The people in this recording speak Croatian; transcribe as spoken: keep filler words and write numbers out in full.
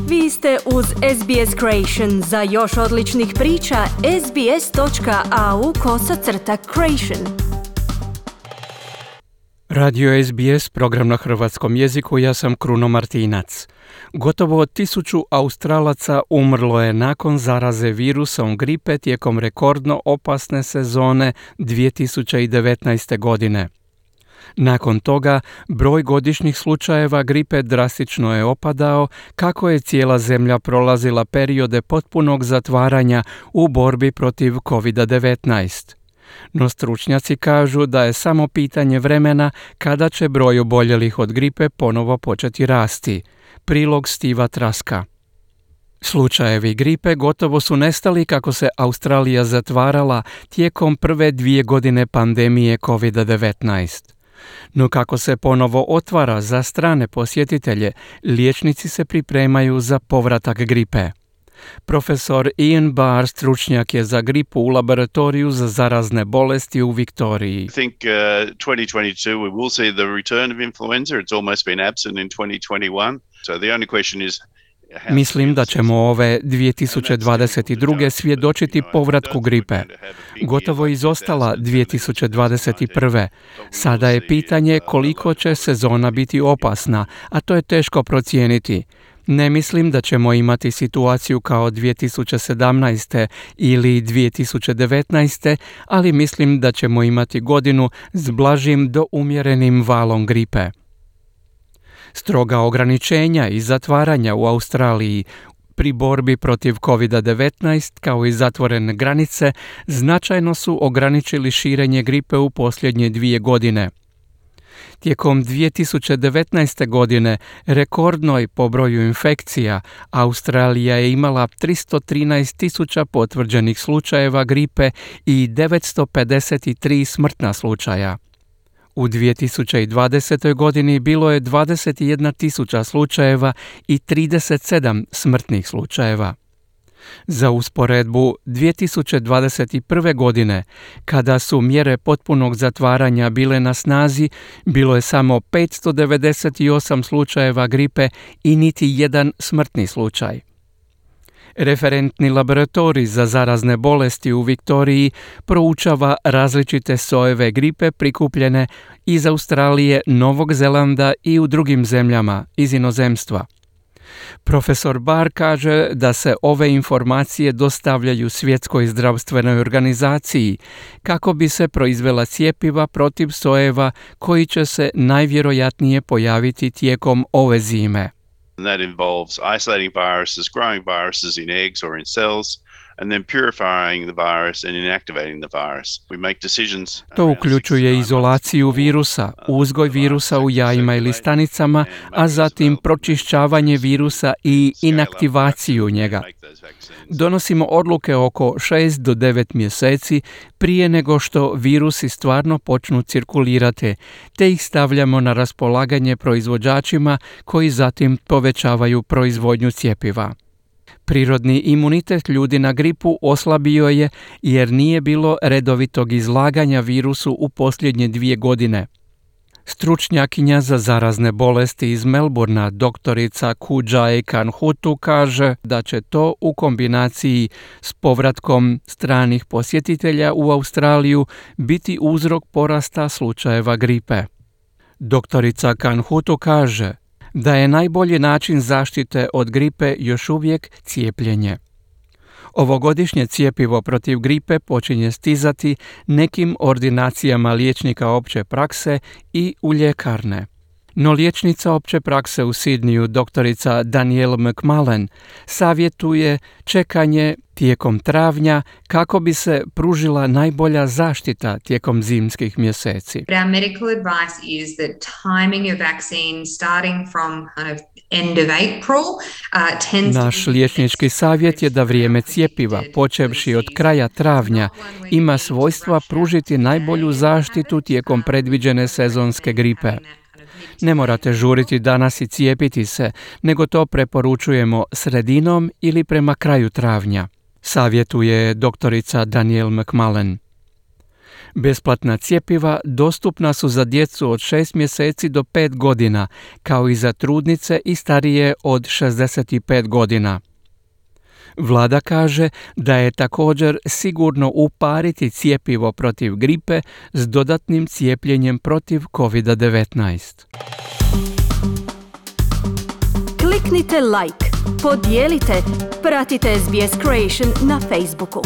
Vi ste uz S B S Creation. Za još odličnih priča, sbs.au kosacrta creation. Radio S B S, program na hrvatskom jeziku, ja sam Kruno Martinac. Gotovo tisuću Australaca umrlo je nakon zaraze virusom gripe tijekom rekordno opasne sezone dvije tisuće devetnaeste. godine. Nakon toga, broj godišnjih slučajeva gripe drastično je opadao kako je cijela zemlja prolazila periode potpunog zatvaranja u borbi protiv covid devetnaest. No stručnjaci kažu da je samo pitanje vremena kada će broj oboljelih od gripe ponovo početi rasti. Prilog Stiva Traska. Slučajevi gripe gotovo su nestali kako se Australija zatvarala tijekom prve dvije godine pandemije covid devetnaest. No kako se ponovo otvara za strane posjetitelje, liječnici se pripremaju za povratak gripe. Profesor Ian Barr, stručnjak je za gripu u laboratoriju za zarazne bolesti u Viktoriji. I think uh, twenty twenty-two we will see the return of influenza. It's almost been absent in twenty twenty-one. So the only question is Mislim da ćemo ove dvije tisuće dvadeset druge. svjedočiti povratku gripe. Gotovo izostala dvije tisuće dvadeset prve. Sada je pitanje koliko će sezona biti opasna, a to je teško procijeniti. Ne mislim da ćemo imati situaciju kao dvije tisuće sedamnaeste. ili dvije tisuće devetnaeste. ali mislim da ćemo imati godinu s blažim do umjerenim valom gripe. Stroga ograničenja i zatvaranja u Australiji pri borbi protiv covid devetnaest kao i zatvorene granice značajno su ograničili širenje gripe u posljednje dvije godine. Tijekom dvije tisuće devetnaeste. godine, rekordnoj po broju infekcija, Australija je imala tristo trinaest tisuća potvrđenih slučajeva gripe i devetsto pedeset tri smrtna slučaja. U dvije tisuće dvadesetoj. godini bilo je dvadeset jedna tisuća slučajeva i trideset sedam smrtnih slučajeva. Za usporedbu, dvije tisuće dvadeset prve. godine, kada su mjere potpunog zatvaranja bile na snazi, bilo je samo petsto devedeset osam slučajeva gripe i niti jedan smrtni slučaj. Referentni laboratorij za zarazne bolesti u Viktoriji proučava različite sojeve gripe prikupljene iz Australije, Novog Zelanda i u drugim zemljama iz inozemstva. Profesor Barr kaže da se ove informacije dostavljaju Svjetskoj zdravstvenoj organizaciji kako bi se proizvela cjepiva protiv sojeva koji će se najvjerojatnije pojaviti tijekom ove zime. And that involves isolating viruses, growing viruses in eggs or in cells, and then purifying the virus and inactivating the virus. We make decisions. To uključuje izolaciju virusa, uzgoj virusa u jajima ili stanicama, a zatim pročišćavanje virusa i inaktivaciju njega. Donosimo odluke oko šest do devet mjeseci prije nego što virusi stvarno počnu cirkulirati, te ih stavljamo na raspolaganje proizvođačima koji zatim povećavaju proizvodnju cjepiva. Prirodni imunitet ljudi na gripu oslabio je jer nije bilo redovitog izlaganja virusu u posljednje dvije godine. Stručnjakinja za zarazne bolesti iz Melbournea, doktorica Kujai Kanhutu, kaže da će to u kombinaciji s povratkom stranih posjetitelja u Australiju biti uzrok porasta slučajeva gripe. Doktorica Kanhutu kaže da je najbolji način zaštite od gripe još uvijek cijepljenje. Ovogodišnje cjepivo protiv gripe počinje stizati nekim ordinacijama liječnika opće prakse i u ljekarne. No liječnica opće prakse u Sidniju, doktorica Danielle McMullen, savjetuje čekanje tijekom travnja kako bi se pružila najbolja zaštita tijekom zimskih mjeseci. Our medical advice is that timing of vaccine starting from kind of end of April uh, tends Naš liječnički savjet je da vrijeme cjepiva, počevši od kraja travnja, ima svojstva pružiti najbolju zaštitu tijekom predviđene sezonske gripe. Ne morate žuriti danas i cijepiti se, nego to preporučujemo sredinom ili prema kraju travnja, savjetuje doktorica Danielle McMullen. Besplatna cjepiva dostupna su za djecu od šest mjeseci do pet godina, kao i za trudnice i starije od šezdeset pet godina. Vlada kaže da je također sigurno upariti cjepivo protiv gripe s dodatnim cijepljenjem protiv kovid devetnaest. Kliknite like, podijelite, pratite S B S Creation na Facebooku.